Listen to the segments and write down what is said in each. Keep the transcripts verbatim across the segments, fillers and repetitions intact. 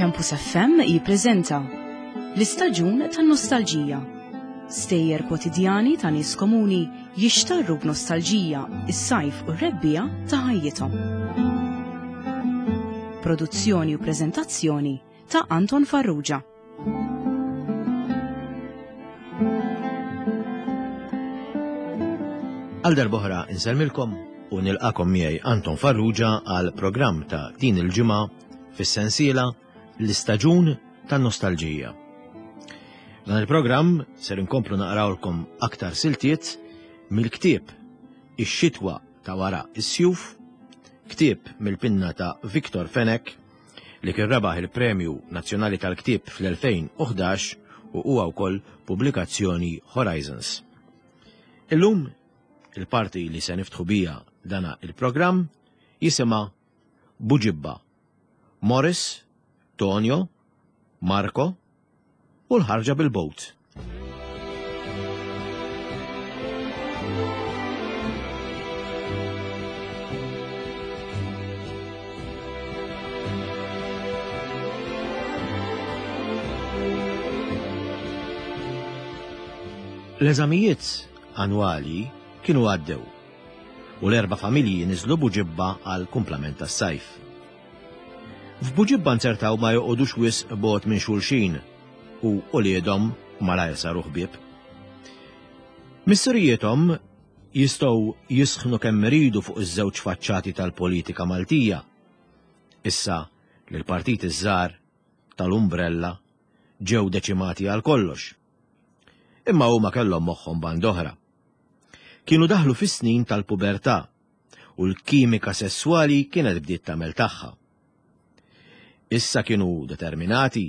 Campus F M jippreżenta l-istaġun tan-nostalġija. Stejjer kwotidjani ta' nies komuni jixtarru b'nostalġija is-sajf u r-rebbiegħa ta' ħajjithom. Produzzjoni u preżentazzjoni ta' Anton Farrugia. Għal darb'oħra insellmilkom u nilqakom miegħi Anton Farrugia għal programm ta' din il-ġimgħa fis-sensiela l-istaġun tan-nostalġija. Dan il-programm ser inkomplu naqrawlkom aktar siltiet mill-ktieb Ix-xitwa ta' wara is-sjuf, ktieb mill-pinna ta' Victor Fenech li kien rebaħ il-Premju Nazzjonali tal-Ktieb fl-elfejn u ħdax u huwa wkoll pubblikazzjoni Horizons. Illum il-parti li se niftħu bija dana il-programm jisimha Buġibba, Morris, Tonio, Marco u l-ħarġa bil-bowt. L-eżamijiet annwali kienu għaddew u l-erba' familji niżlu Buġibba għal kumplament tas-sajf. F'Buġibba nzertaw ma joqogħdux wisq bogħod minn xulxin u uliedhom malajr saru ħbieb. Missirijiethom jistgħu jisħnu kemm iridu fuq iż-żewġ faċċati tal-politika Maltija. Issa li l-partit iż-żgħar tal-Umbrella ġew deċimati għal kollox. Imma huma kellhom moħħhom band oħra. Kienu daħlu fis-snin tal-pubertà u l-kimika sesswali kienet bdiet tagħmel tagħha. Issa kienu determinati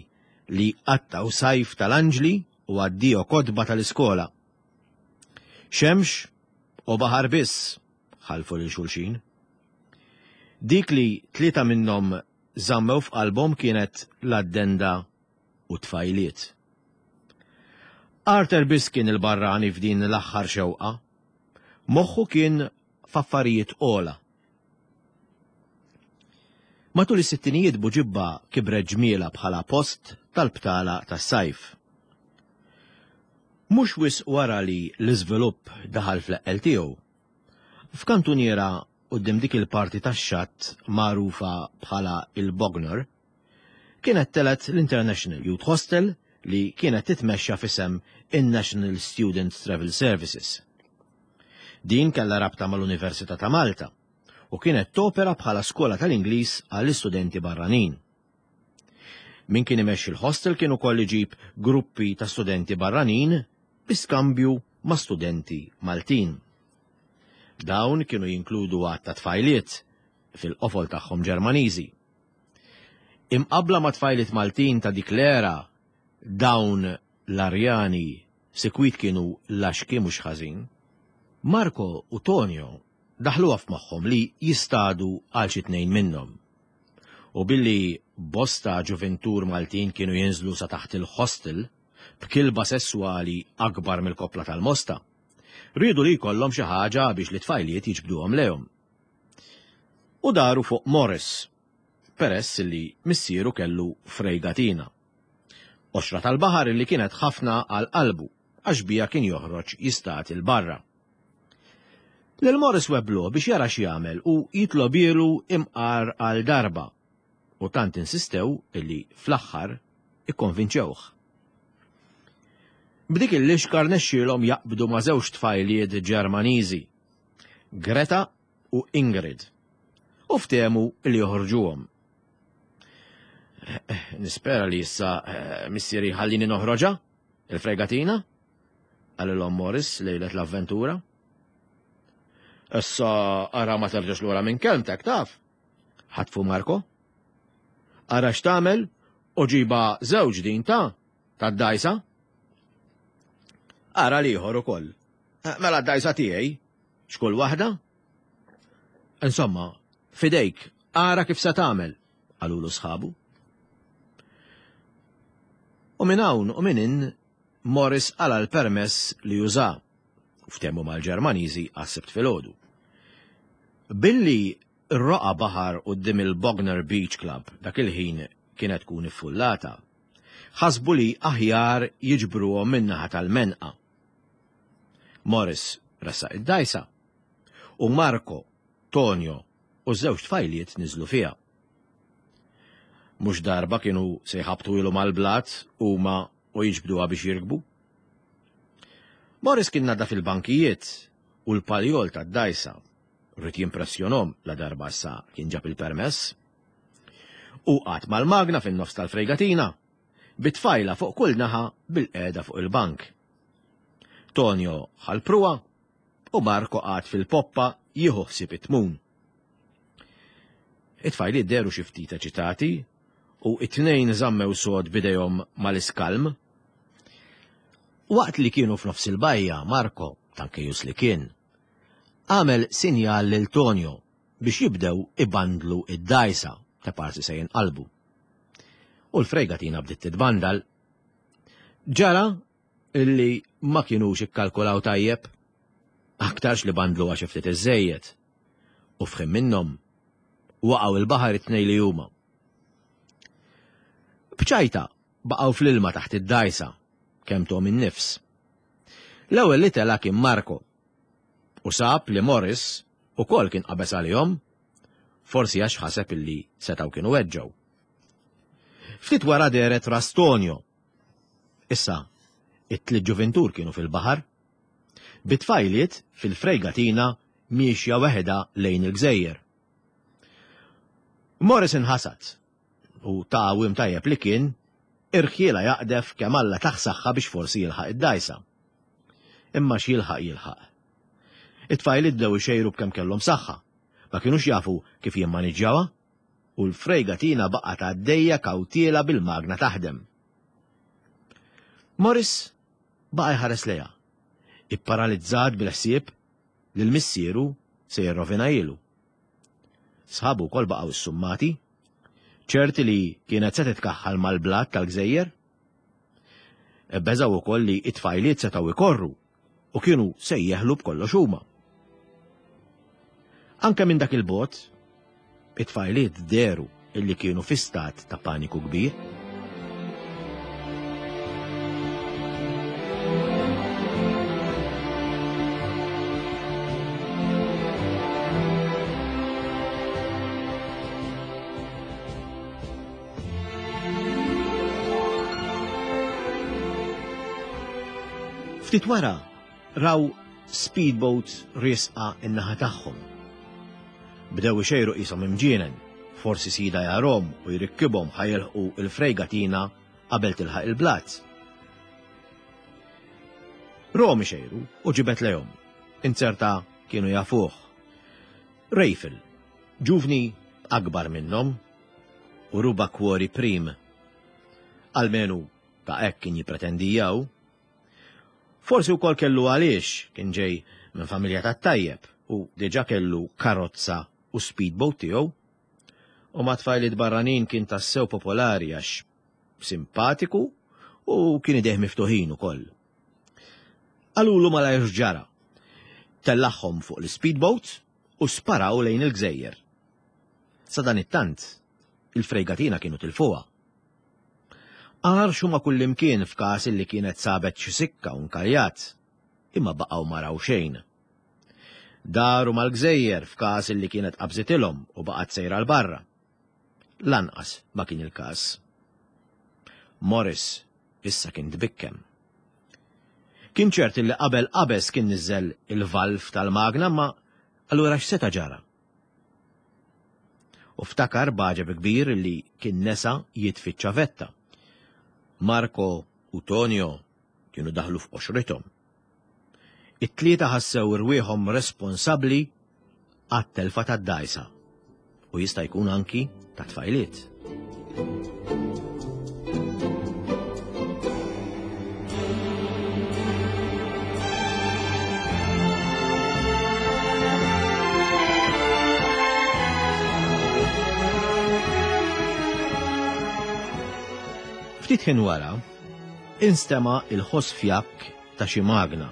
li qattaw sajf tal-anġli u addio kotba tal-iskola. Xemx u baħar biss ħalfu lil xulxin. Dik li tlieta minnhom żammew f'qalbhom kienet l-addenda u tfajliet. Arthur biss kien il-barrani f'din l-aħħar xewqa. Moħħu kien f'affarijiet ogħla. Matul is-sittinijiet Buġibba kibret ġmiela bħala post tal-btala tas-sajf. Mhux wisq wara li l-iżvilupp daħal fl-eqqel tiegħu. F'kantuniera quddiem dik il-parti tax-xatt magħrufa bħala il-Bognor, kienet telet l-International Youth Hostel li kienet titmexxa f'isem in-National Student Travel Services. Din kellha rabta mal-Università ta' Malta u kienet topera bħala skola tal-Ingliż għall-istudenti barranin. Min kien imexxi l-hostel kien ukoll iġib gruppi ta' studenti barranin bi skambju ma' studenti Maltin. Dawn kienu jinkludu għadd ta' tfajliet fil-qofol tagħhom Ġermaniżi. Imqabbla ma' tfajliet Maltin ta' dik l-era, dawn l-Arjani sikwit kienu laxki mhux ħażin. Marco u Tonio daħluha f'moħħhom li jistadu għal xi tnejn minnhom. U billi bosta ġuventur Maltin kienu jinżlu sa taħt il-hostel b'kilba sesswali akbar mill-koppla tal-mosta, riedu li jkollhom xi ħaġa biex li tfajliet jiġbduhom lejhom. U daru fuq Morris, peress li missieru kellu frejgatina. Qoxra tal-baħar li kienet ħafna għal qalbu għax bija kien joħroġ jistat il-barra. Lil Morris weblu biex jara x'jagħmel u jitlobielu imqar għal darba u tant insistew illi fl-aħħar ikkonvinċewh. B'dik il-lixka rnexxielhom jaqbdu ma' żewġ tfajliet Ġermaniżi, Greta u Ingrid, u ftehmu li joħorġuhom. Nispera li issa, eh, missieri ħallini noħroġha, il-fregatina, qalilhom Morris lejlet l-avventura. Issa ara ma terġax lura minn kelmtek, taf? Ħatfu Marco. Ara x'tagħmel u ġiba żewġ din ta' tad-dajsa. Ara l-ieħor ukoll. Eh, mela d-dajsa tiegħi, x'kull waħda? Insomma, fidejk, ara kif se tagħmel, qalulu sħabu. U minn hawn u minn in Morris qala l-permess li juża u ftehmu mal-Ġermaniżi għas-Sibt filgħodu. Billi r-roqa baħar quddiem il-Bognor Beach Club dak il-ħin kienet tkun iffullata, ħasbu li aħjar jiġbruhom min-naħa tal-Menqa. Morris ressaq id-dgħajsa u Marco, Tonio u ż-żewġ tfajliet niżlu fiha. Mhux darba kienu se jħabtu ilu mal-blat huma u jiġbduha biex jirkbu. Morris kien naddaf il-bankijiet u l-paljol tad-dgħajsa, ried jimpressjonhom la darba issa kien ġab il-permess. U qagħad mal-magna fin-nofs tal-frejgatina, bit-tfajla fuq kull naħa bil-qiegħda fuq il-bank. Tonio ħa l-pruwa u Marco qagħad fil-poppa jieħu ħsieb it-tmun. It-tfajliet dehru xi ftit eċitati u it-tnejn żammew sod bidejhom mal-iskalm. Waqt li kienu f'nofs il-bajja, Marco, tankejus li kien, għamel sinjal lil Tonio biex jibdew ibandlu id-dgħajsa ta' parsi se jinqalbu. U l-frejgatina bdiet titbandal. Ġara illi ma kienux ikkalkulaw tajjeb, aktarx li bandlu għax ftit iżżejjed. U f'ħin minnhom waqgħu il-baħar it-tnejn li huma. Bċajta baqgħu fl-ilma taħt id-dgħajsa kemm tom in-nifs. L-ewwel li tela' kien Marco u sab li Morris ukoll kien qabeż għalihom, forsi għax ħaseb illi setgħu kienu weġġgħu. Ftit wara dehret ras Tonio. Issa, it-tliet ġuvintur kienu fil-baħar, bit-tfajliet fil-frejgatina miexja weħeda lejn il-gżejjer. Morris inħasad u ta' għawim tajjeb li kien, irħiela jaqdef kemm Alla tah saħħa biex forsi jilħaq id-dgħajsa. Imma x'jilħaq jilħaq. It-tfajliet bdew ixejru b'kemm kellhom saħħa, ma kinux jafu kif jimmaniġġjawha u l-frejgatina baqgħet għaddejja kawtiela bil-magna taħdem. Morris baqa' jħares lejha, ipparalizzat bil-ħsieb li l-missieru se jirrovinajilu. Sħabu wkoll baqgħu ssummati, ċerti li kienet se titkaħħal mal-blat tal-gżejjer. Beżgħu wkoll li t-tfajliet setgħu ikorru u kienu se jeħlu b'kollox huma. Anke minn dak il-bot, it-tfajliet dehru illi kienu fi stat ta' paniku kbir. Ftit wara raw speedboat riesqa in-naħa tagħhom. Bdew ixejru qishom imġienen, forsi sida jarahom u jrikkibhom ħa jilħqu il-frejgatina qabel tilħaq il-blat. Rom ixejru u ġibet lejhom, inzerta kienu jafuh. Rejfel, ġuvni akbar minnhom u ruba kwori prim. Almenu ta' hekk kien jippretendijaw. Forsi wkoll kellu għaliex kien ġej minn familja tat-tajjeb u diġà kellu karozza u speedboat tiegħu. U ma' tfajliet barranin kien tassew popolari għax simpatiku u kien idejh miftuħin ukoll. Qalulu malajr x'ġara. Tellagħhom fuq l-speedboat u sparaw lejn il-gżejjer. Sadanittant, il-frejgatina kienu tilfuha. Għarxu ma' kullimkien f'każ li kienet sabet xi sikka u nkaljat, imma baqgħu ma raw xejn. Daru mal-gżejjer f'każ li kienet qabżitilhom u baqgħet sejra 'l barra. Lanqas ma kien il-każ. Morris issa kien tbikkem. Kien ċert li qabel qabeż kien niżel il-valf tal-magna, ma allura x'seta' ġara? U ftakar b'għaġeb kbir li kien nesa jitfi ċ-ċavetta. Marco u Tonio kienu daħlu f'qoxrithom. It-tlieta ħassew irwieħhom responsabbli għat-telfa tad-dgħajsa u jista' jkun anki ta' tfajliet. Ftit ħin wara, instema' il-ħoss fjakk ta' xi magna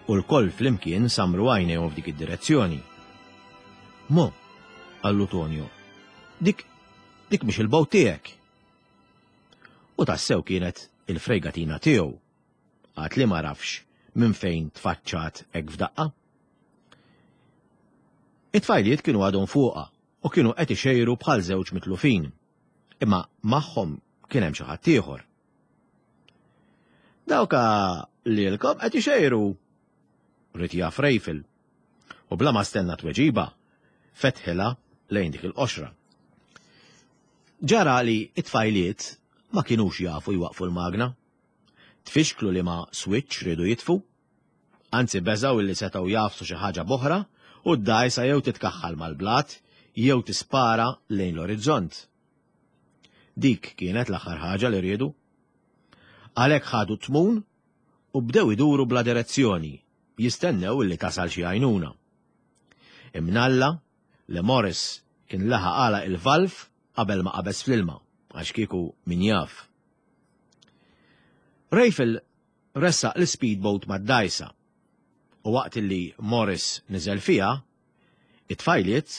u l-koll flimkien samru għajnejhom f'dik id-direzzjoni. Mo, qallu Tonio, dik Dik mhix il-boat tiegħek. U tassew kienet il-fregatina tiegħu. Għad li ma rafx minn fejn tfaċċat hekk f'daqqa. It-tfajliet kienu għadhom fuqha u kienu qed ixejru bħal żewġ mitlufin. Imma magħhom kien hemm xi ħadd ieħor. Dawka lilkom qed ixejru, ried jaf Rejfil. U bla ma stenna tweġiba, fetħilha lejn dik il-qoxra. Ġara li it-tfajliet ma kinux jafu jwaqfu l-magna. Tfixklu li ma switch riedu jitfu, anzi beżaw illi setgħu jafsu xi ħaġa boħra u d-dgħajsa jew titkaħħal mal-blat jew tispara lejn l-orizzont. Dik kienet l-aħħar ħaġa li riedu. Għalhekk ħadu tmun u bdew iduru bla direzzjoni, jistennew illi tasal xi għajnuna. Imnalla li Morris kien laħaq għalaq il-valf qabel ma qabeż fl-ilma, għax kieku min jaf. Rejfil ressaq l-speedboat mad-dgħajsa u waqt li Morris niżel fiha, it-tfajliet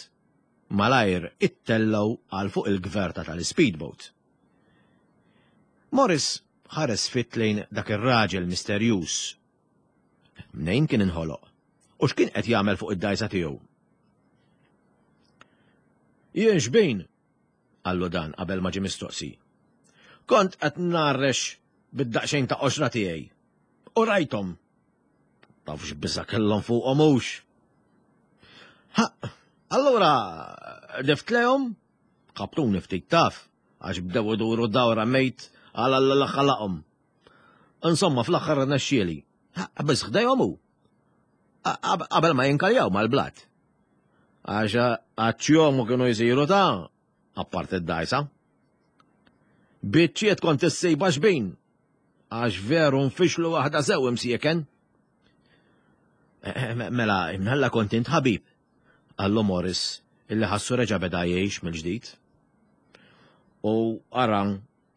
malajr ittellgħu għal fuq il-gverta tal-speedboat. Morris ħares fit lejn dak ir-raġel misterjuż. Mnejn kien inħoloq u x'kien qed jagħmel fuq id-dgħajsa tiegħu. Jien xbin, qallu dan qabel ma ġie mistoqsi. Kont qed narrex bid-daqsxejn ta' qoxra tiegħi. U rajthom. Taf x'biża' kellhom fuqhom hux. Ha, allura dift lejhom, ħabtuni ftit taf, għax bdew iduru dawra mejt għal Alla li ħalaqhom. Insomma, fl-aħħar rnexxieli. Biss ħdejhom hu. Qabel ma jinkaljaw mal-blat. Għax għaċ-ċjomu kienu jsiru ta' apart id-dgħajsa. Biċċiet kont issejba xbin. Għax veru nfixlu waħda sew imsieken. Mela, imnalla kont int ħabib, qallu Morris illi ħassu reġa' beda jgħix mill-ġdid. U ara,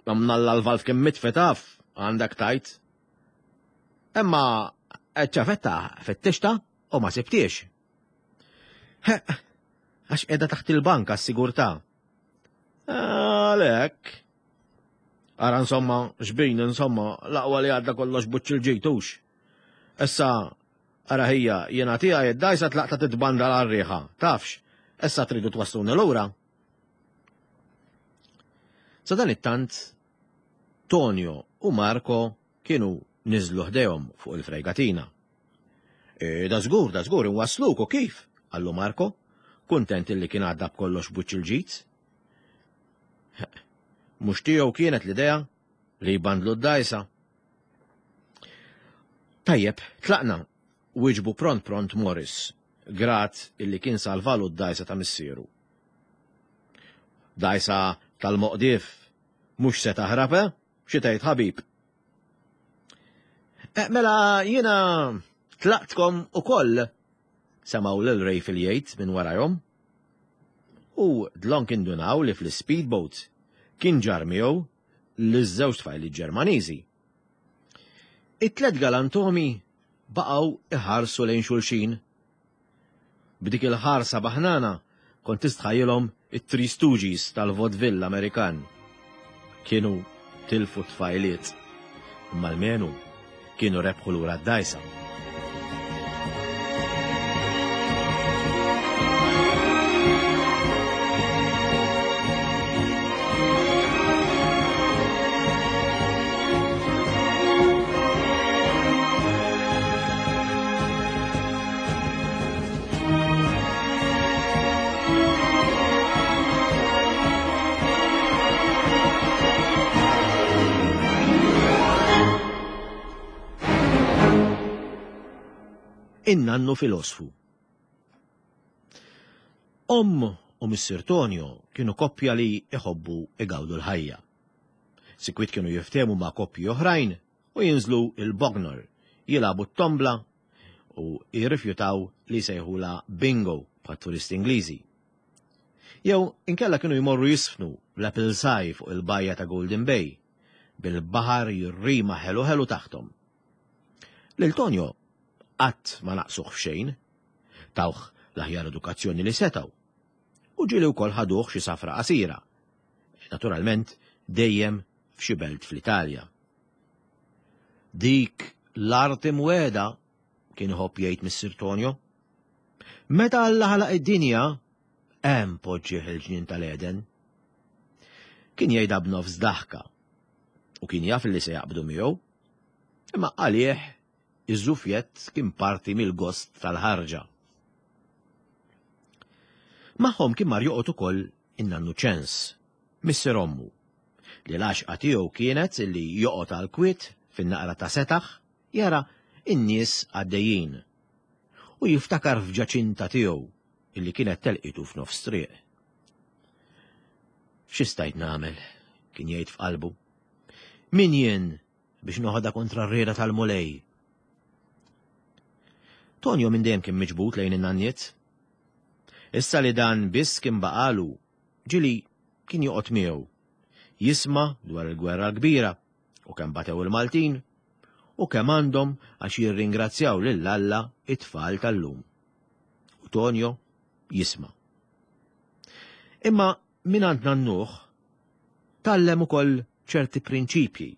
mnalla l-valf kien mitfi taf, għandek tajt. Imma ċafetta fittixta u ma sibtiex. Għax qiegħda taħt il-bank għas-sigurtà. Għalhekk. Ara insomma, xbin insomma, l-aqwa li għadda kollox buċċ il-ġejtux. Issa, ara ħija, jiena tiegħi id-dgħajsa tlaqta titbanda l-arriħa, tafx, issa tridu twasluni lura. Sa dan it-tant, Tonio u Marco kienu niżlu ħdejhom fuq il-fregatina. E, da żgur, da żgur, inwasluk u kif? Qallu Marco, kuntent illi kien għadda b'kollox buċċ il-ġid. Mhux tiegħu kienet l-idea li jbandlu d-dgħajsa. Tajjeb, tlaqna, wieġbu pront pront Morris, grat illi kien salvalu d-dgħajsa ta' missieru. Dgħajsa tal-moqdif, mhux se taħrab, eh? Xi tgħid ħabib? E, mela jiena tlaqtkom ukoll, semgħu lil Rejfil jgħid minn warajhom. U dlonk indunaw li fl-speedboat kien ġar miegħu liż-żewġ tfajli Ġermaniżi. It-tlet galantomi baqgħu iħarsu lejn xulxin. B'dik il-ħarsa baħnana kont tistħajjilhom it-Three Stooges tal-vaudeville Amerikan. Kienu tilfu tfajliet, imma almenu kienu rebħu lura d-dgħajsa. In-nannu filosfu. Omm u missier Tonio kienu koppja li iħobbu igawdu l-ħajja. Sikwit kienu jiftehmu ma' koppji oħrajn u jinżlu il-Bognor, jilagħbu t-tombla u jirrifjutaw li jsejħula bingo bħat turisti Ingliżi. Jew inkella kienu jmorru jisfnu l-Apple Sai fuq il-bajja ta' Golden Bay, bil-baħar jirrima ħelu ħelu taħtom. Lil Tonio qatt ma naqsuh f'xejn, tawh l-aħjar edukazzjoni li setgħu. U ġieli wkoll ħaduh xi safra qasira. Naturalment, dejjem f'xi belt fl-Italja. Dik l-art imwiegħda, kien iħobb jgħid Missier Tonio. Meta Alla ħalaq id-dinja, hemm poġġih il-ġnien tal-Eden. Kien jgħidha b'nofs daħka u kien jaf li se jaqbdu miegħu, imma għalih iż-żufjett kien parti mill-gost tal-ħarġa. Magħhom kien mar joqgħod ukoll in-nannu Ċens, missier ommu, li l-għaxqa tiegħu kienet li joqgħod għal kwiet fin-naqra ta' setaħ jara in-nies għaddejjin u jiftakar f'ġaċinta tiegħu illi kienet telqitu f'nofs triq. Xi stajt nagħmel, kien jgħid f'qalbu. Min jien biex noħodha kontra r-rieda tal-Mulej? Tonio minn dejjem kien miġbud lejn in-nanniet. Issa li dan biss kien baqalu, ġili kien joqgħod miegħu. Jisma' dwar il-gwerra l-kbira u kemm batew il-Maltin u kemm għandhom għax jirringrazzjaw lil Alla it-tfal tal-lum. U Tonio jisma'. Imma minn għand nannuh tgħallem ukoll ċerti prinċipji.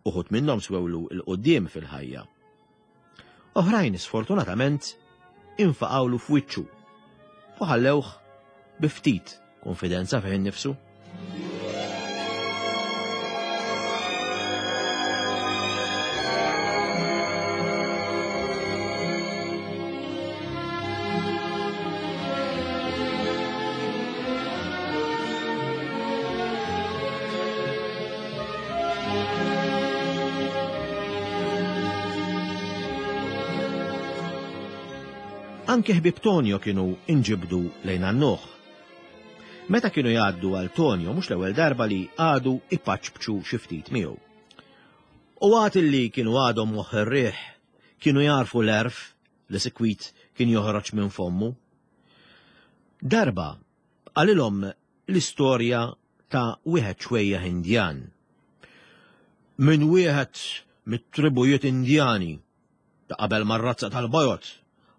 Uħud minnhom swewlu 'l quddiem fil-ħajja. Oħrajn sfortunatament infaqawlu f'wiċċu u ħallewh bi ftit konfidenza fih innifsu. Anke ħbieb Tonio kienu inġibdu lejn nannuh. Meta kienu jgħaddu għal Tonio mhux l-ewwel darba li għadu ipaċpċu xi ftit miegħu. U għad li kienu għadhom moħħ ir-riħ, kienu jarfu l-għerf li sikwit kien joħroġ minn fommu. Darba qalilhom l-istorja ta' wieħed xwejjaħ Indjan. Minn wieħed mit-tribujiet Indjani ta' qabel mar-razza tal-bojod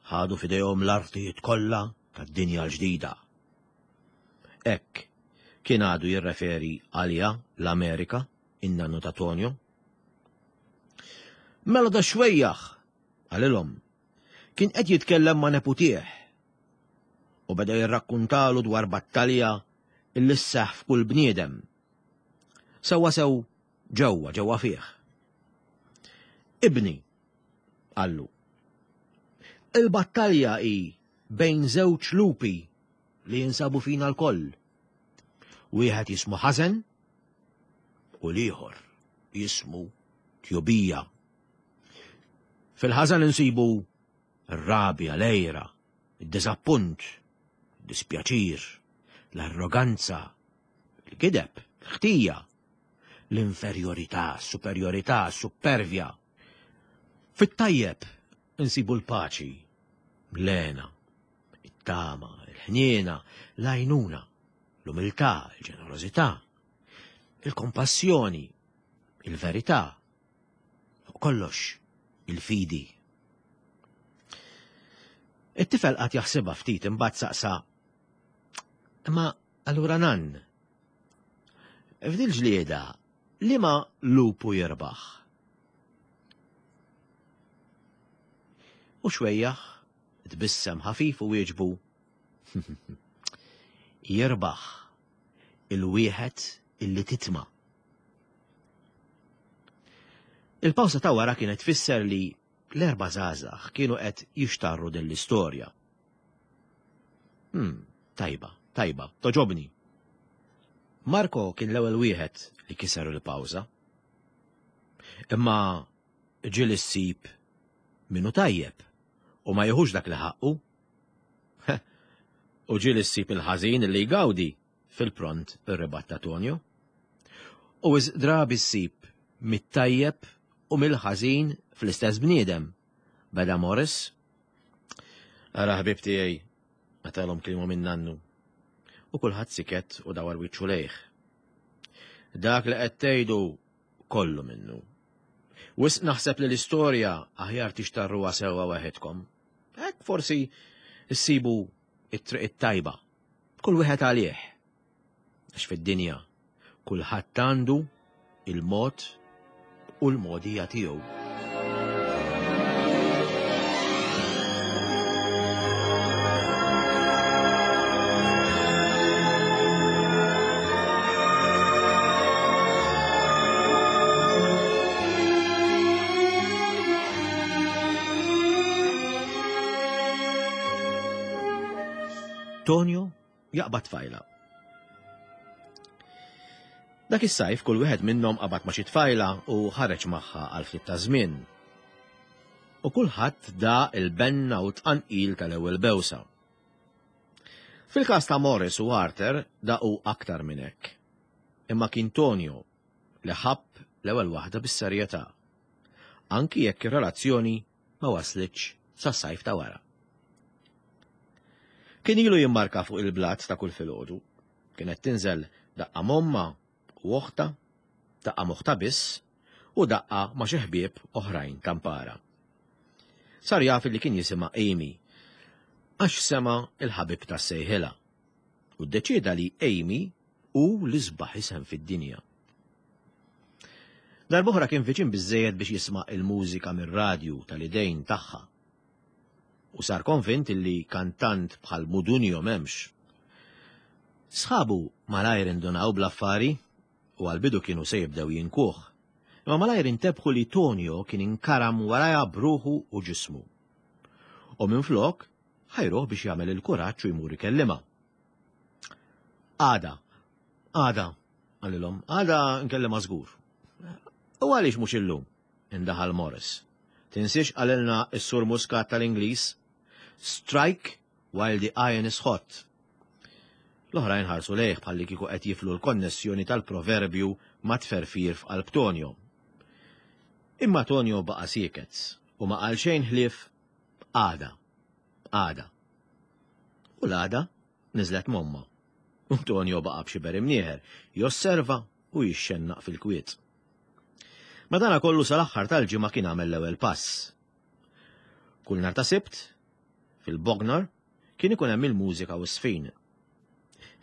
ħadu f'idejhom l-artijiet kollha tad-dinja l-ġdida. Hekk kien għadu jirreferi għaliha l-Amerika, in-nannu ta' Tonio. Mela da xwejjaħ, qalilhom, kien qed jitkellem ma' neputih u beda jirrakkuntalu dwar battalja illi sseħħ f'kull bniedem. Sewwa sew ġewwa ġewwa fih. Ibni, qallu, il-battalja hi bejn żewġ lupi li jinsabu fina lkoll. Wieħed jismu ħażen u l-ieħor jismu tjubija. Fil-ħażen insibu r-rabja, l-għira, id-diżappunt, id-dispjaċir, l-arroganza, il-gideb, l-ħtija, l-inferjorità, s-superjorità, s-suppervja. Fit-tajjeb insibu l-paċi, l-hena, it-tama, il-ħniena, l-għajnuna, l-umiltà, il-ġenerożità, il-kompassjoni, il-verità, fuq kollox il-fidi. It-tifel qagħad jaħsibha ftit imbagħad saqsa, imma allura nann, f'dil ġlieda liema lupu jirbaħ? U xwejjaħ tbissem ħafif u wieġbu, jirbaħ il-wieħed illi titma. Il-pawsa ta' wara kienet tfisser li l-erba' żgħażagħ kienu qed jixtarru din l-istorja. Hmm, tajba, tajba, toġobni. Marco kien l-ewwel wieħed li kiser il-pawża. Imma ġieli ssib minnu tajjeb u ma jieħux dak li ħaqqu. U ġieli ssib il-ħażin li jgawdi fil-pront ir-ribatta Tonio. U wisq drabi ssib mit-tajjeb u mill-ħażin fl-istess bniedem. Beda Morris. Ara ħbib tiegħi, għatalhom kliemu minn nannu. U kulħadd siket u dawar wiċċu lejh. Dak li qed tgħidu kollu minnu. Wisq naħseb li l-istorja aħjar tixtarruha sewwa waħedkom. Hekk forsi ssibu it-triq it-tajba. Kull wieħed għalih. Għax fid-dinja kulħadd għandu il-mod u l-modija tiegħu. Tonio jaqbad tfajla. Dak is-sajf kull wieħed minnhom qabad ma' xi tfajla u ħareġ magħha għal ftit ta' żmien. U kulħadd da il-benna u tqanqil tal-ewwel bewsa. Fil-każ ta' Morris u Arthur daqu aktar minn hekk. Imma kien Tonio li ħabb l-ewwel waħda bis-serjetà. Anki jekk ir-relazzjoni ma waslitx sas-sajf ta' wara. Kien ilu jimmarka fuq il-blat ta' kull filgħodu. Kienet tinżel daqqa momma u oħta, daqqa moħta biss u daqqa ma' xi ħbieb oħrajn tampara. Sar jaf li kien jisimha Amy, għax sema il-ħabib ta' sejħilha u ddeċieda li Amy hu l-isbaħ isem fid-dinja. Darb'oħra kien viċin biżżejjed biex jisma' il-mużika mir-radju tal-idejn tagħha. U sar konvint li kantant bħal Mudunio m'hemmx. Sħabu malajr indunaw bl-affari u għal-bidu kienu se jibdew jinkuh. Imma malajr intebħu li Tonio kien inkaram warajha bruħu u ġismu. U minflok ħajruh biex jagħmel il-kuraġġ u jmur ikellimha. Għada, għada, qalilhom, għada nkellimha żgur. U għaliex mhux illum? Indaħal Morris. Tinsiex qalilna s-sur Muscat tal-Ingliż, strike while the iron is hot. L-oħrajn ħarsu lejh bħalli kieku qed jiflu l-konnessjoni tal-proverbju ma' tferfir f'qalb Tonio. Imma Tonio baqa' sieket u ma qal xejn ħlief għada, għada. U l-għada niżlet momma. U Tonio baqa' b'xiber imnieħer, josserva u jixxennaq fil-kwiet. Madana kollu sal-aħħar tal-ġimgħa kien għamel l-ewwel pass. Kull nhar ta' Sibt, fil-Bognor, kien ikun hemm il-mużika u s-sfin.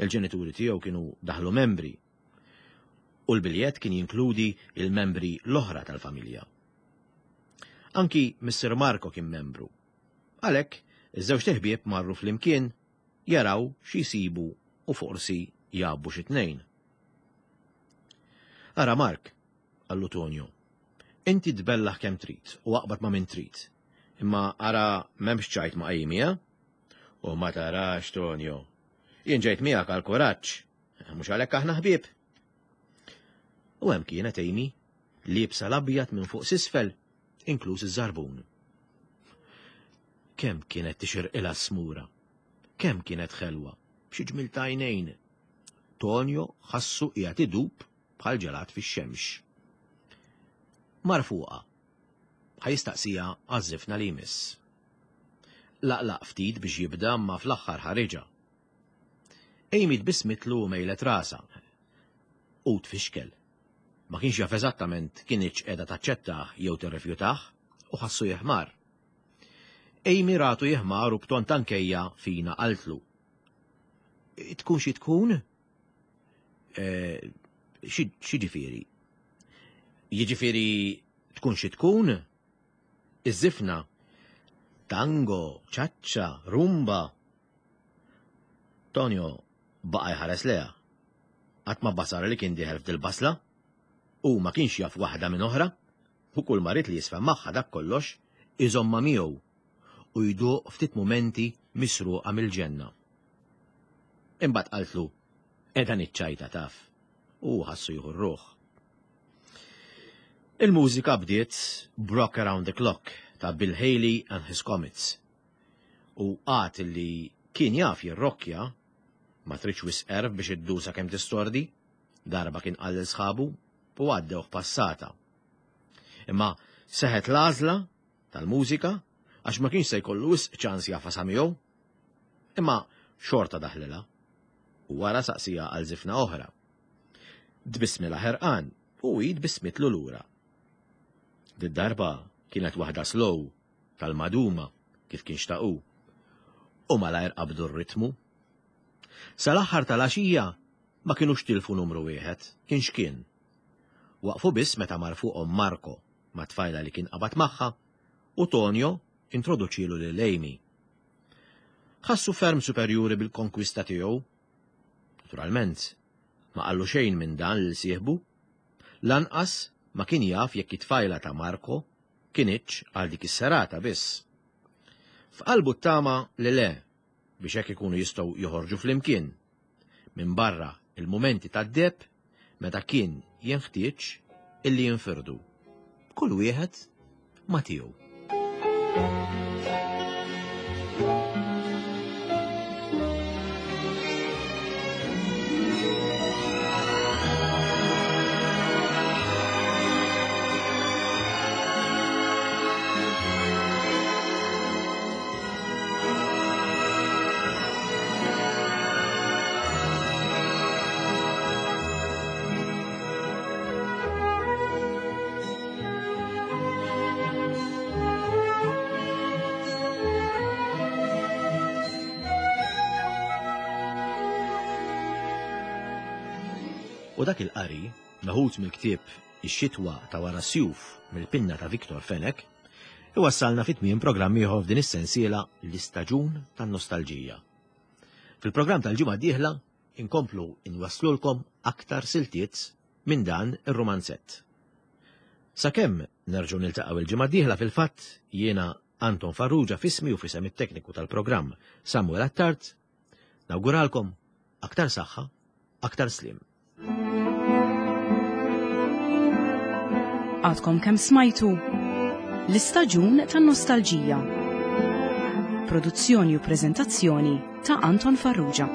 Il-ġenituri tiegħu kienu daħlu membri u l-biljett kien jinkludi il-membri l-oħra tal-familja. Anki Mister Marco kien membru. Għalhekk, iż-żewġ teħbieb marru flimkien jaraw xi jsibu u forsi jabbu xi tnejn. Ara Mark, qallu Tonio, inti tbellaħ kemm trid u aqbad ma' min trid. Imma ara m'hemmx ċajt ma' Amy, eh? U ma tarax, Tonio. Jien ġejt miegħek għal kuraġġ, mhux għalhekk aħna ħbieb. U hemm kienet Amy, liebsa l-abjad minn fuq s'isfel, inkluż iż-żarbun. Kemm kienet tixirqilha s-smura, kemm kienet ħelwa, b'xi ġmil ta' għajnejn. Tonio ħassu qiegħed idub bħal ġelat fix-xemx. Mar fuqha, ħajistaqsija għaż-żifna li jmiss. Laqlaq ftit biex jibda ma fl-aħħar ħariġa. Amy tbissmitlu u mejlet rasha. U tfixkel. Ma kienx jaf eżattament kienx qiegħda taċċettah jew tirrifjutah u ħassu jeħmar. Amy ratu jeħmar u b'ton tankejja fina qaltlu. Tkun xi tkun? Xi ġifieri? Jiġifieri tkun xi tkun? Iż-żifna, tango, ċaċċa, rumba. Tonio baqa' jħares leha. Qatt ma basar li kien dieħel f'dil-basla. U ma kienx jaf waħda minn oħra. U kull marit li jisfa' magħha dak kollox iżomma miegħu u jduq ftit mumenti misruqa mill-ġenna. Imbagħad qaltlu, qiegħda niċċajta taf. U ħassu jieħu r-ruħ. Il-mużika bdiet b'Rock Around the Clock ta' Bill Haley and His Comets. U għad li kien jaf jirrokkja, ma tridx wisq erf biex iddusa kemm tistordi, darba kien qal lil sħabu u għaddewh passata. Imma seħet l-għażla tal-mużika għax ma kienx se jkollu wisq ċans jafasa miegħu. Imma xorta daħlilha u wara saqsija għal żifna oħra. Tbissmilha ħerqan u hi tbissmitlu lura. Did-darba kienet waħda slow tal-maduma kif kien xtaqu. U malajr qabdu r-ritmu. Sal-aħħar tal-għaxija ma kinux tilfu numru wieħed, kien x'kien. Waqfu biss meta mar fuqhom Marco ma' tfajla li kien qabad magħha u Tonio introduċielu lil Amy. Ħassu ferm superjuri bil-konkwista tiegħu. Naturalment, ma qallu xejn minn dan lil sieħbu. Lanqas ma kien jaf jekk it-tfajla ta' Marco kinitx għal dik is-serata biss. F'qalbu ttama li le biex hekk ikunu jistgħu joħorġu flimkien. Minn barra il-mumenti tad-deb meta kien jenħtieġ illi jinfirdu. Kull wieħed ma tiegħu. U dak il-qari, meħud mill-ktieb Ix-xitwa ta' wara sjuf mill-pinna ta' Victor Fenech, iwassalna fit tmiem programm ieħor f'din is-sensiela l-istaġun tan-nostalġija. Fil-programm tal-ġimgħa d-dieħla inkomplu inwasslulkom aktar siltiet minn dan ir-rumanzett. Sakemm nerġgħu niltaqgħu il-ġimgħa d-dieħla fil-fatt jiena Anton Farrugia f'ismi u f'isem it-tekniku tal-programm Samuel Attard, nawguralkom aktar saħħa, aktar slim. Għadkom kemm smajtu l-istaġun tan-nostalġija. Produzzjoni u preżentazzjoni ta' Anton Farrugia.